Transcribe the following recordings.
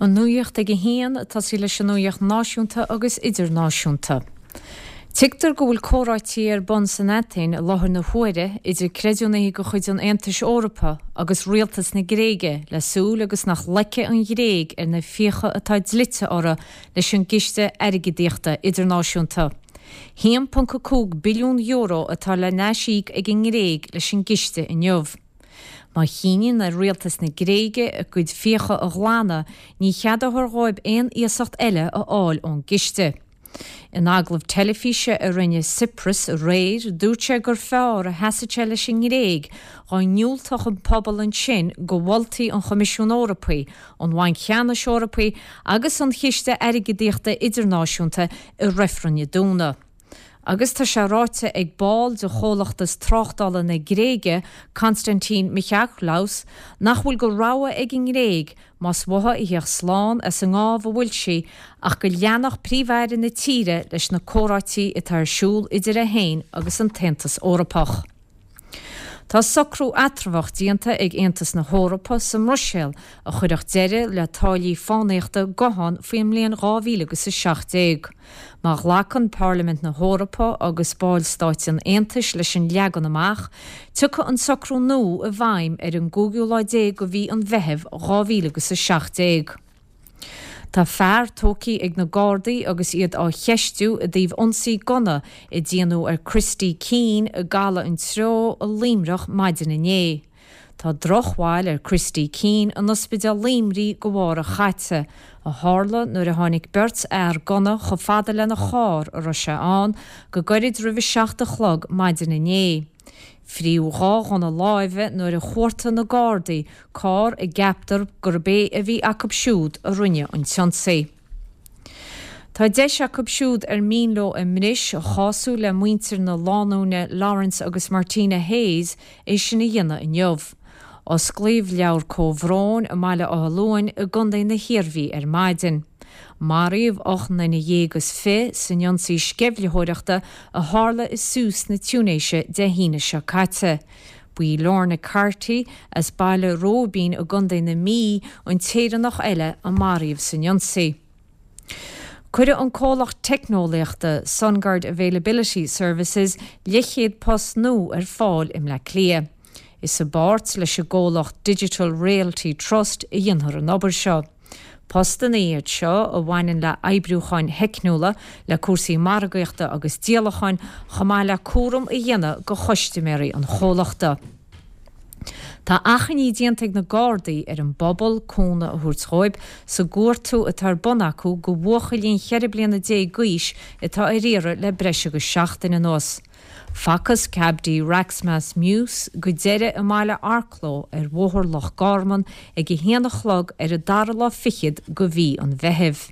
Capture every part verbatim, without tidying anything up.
An nuacht ag a haon tosaí leis an nuacht náisiúnta agus idirnáisiúnta. Tuigtear go bhfuil comhráití ar bun san Atéin i láthair na huaire idir creidiúnaithe de chuid an Aontais Eorpaigh agus rialtas na Gréige le súil agus nach loicfidh an Ghréig ar na fiacha atá dlite uirthi leis an gCiste Airgeadaíochta Idirnáisiúnta. haon ponc a cúig billiún euro atá le n-aisíoc ag an nGréig leis an gciste inniu. Má chinneann ar rialtas na Gréige a gcuid fiacha a ghlanadh, ní cheadófar dóibh aon iasacht eile a fháil ón gciste. In agallamh teilifíse a rinne Tsipras aréir dúirt sé gur fearr a sheasfadh sé leis an nGréig dá ndiúltódh an pobal ansin do mholtaí an Choimisiúin Eorpaigh, an Bhainc Cheannais Eorpaigh agus an Chiste Airgeadaíochta Idirnáisiúnta i reifreann Dé Domhnaigh. Agus tá sé ráite ag ball de chomhlachtas tráchtála na Gréige, Constantin Michaklos, nach bhfuil de rogha ag an nGréig más uaithi a theacht slán as an ngábh a bhfuil sí ach go leanfadh príomh-aire na tíre leis na comhráití atá ar siúl idir é féin agus an tAontas Eorpach. Tá socrú eatramhach déanta ag Aontas na hEorpa sa mBruiséil a chuirfeadh deireadh le táillí fánaíochta guthán faoin mbliain dhá mhíle agus a seacht déag. Má ghlacann Parlaimint na hEorpa agus ballstáit an Aontais leis an leagan amach, tiocfaidh an socrú nua i bhfeidhm ar an gcúigiú lá déag de mhí an Mheithimh dhá mhíle agus a seacht déag. Tá fear tógtha ag na Gardaí agus iad á cheistiú i dtaobh ionsaí gunna a déanadh ar Christy Keane i gCaladh an Treo i Luimneach maidin inné. Tá drochbhail ar Christy Keane in Ospidéal Luimnigh de bharr a chaite, a tharla nuair a tháinig beirt fhear gunna chomh fada lena charr a raibh sé ann go gairid roimh a seacht a chlog maidin inné. Fríodh dhá ghunna láimhe nuair a chuartaigh na Gardaí carr a gceaptar gurb é a bhí acu siúd a rinne an t-ionsaí. Tá deis acu siúd ar mian leo a mbris a chású le muintir na lánúine Lawrence agus Martina Hayes é sin a dhéanamh inniu. Osclaíodh leabhar comhbhróin i mBaile Átha Luain i gContae na hIarmhí ar maidin. Maraíodh ocht nduine dhéag is fiche san ionsaí sceimhlitheoireachta a tharla i Sousse na Túinéise Dé hAoine seo caite. Ba í Lorna Carty as Baile Róibín i gContae na Mí an tÉireannach eile a maraíodh san ionsaí. Cuireadh an comhlacht teicneolaíochta SunGard Availability Services leathchéad post nua ar fáil i mBleá Cliath. Is i bpáirt leis an gcomhlacht Digital Realty Trust a dhéanfar an obair seo. Postanna iad seo a bhaineann le oibriúcháin theicniúla, le cúrsaí margaíochta agus díolacháin, chomh maith le cúram a dhéanamh do chustaiméirí an chomhlachta. Tá achainí déanta ag na Gardaí ar an bpobal cúnamh a thabhairt dhóibh sa gcuartú atá ar bun acu do bhuachaillín cheithre bliana déag d'aois atá ar iarraidh le breis agus seachtain anuas. Facthas Cabdi Raxmas Muse go deireadh i mbaile Arklow ar Bhóthar Loch Garman ag a haon a chlog ar an dara lá fichead de mhí an Mheithimh.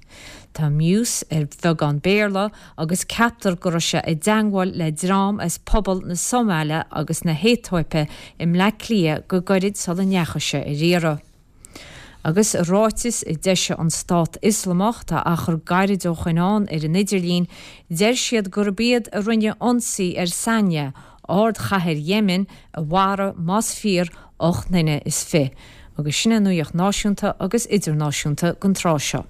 Tá Muse ar bheagán Béarla agus ceaptar go raibh sé i dteagmháil le dream as pobal na Somáile agus na hAetóipe i mBleá Cliath go gairid sula ndeachaigh sé ar iarraidh. Agus i ráiteas a d'eisigh an Stát Ioslamach, tá achar gairid ó shoin ann ar an idirlíon, deir siad gurb iad a rinne ionsaí ar Sana'a, ardchathair Yemen, a mharaigh, más fíor, ocht nduine is fiche. Agus sin an nuacht náisiúnta agus idirnáisiúnta don tráth seo.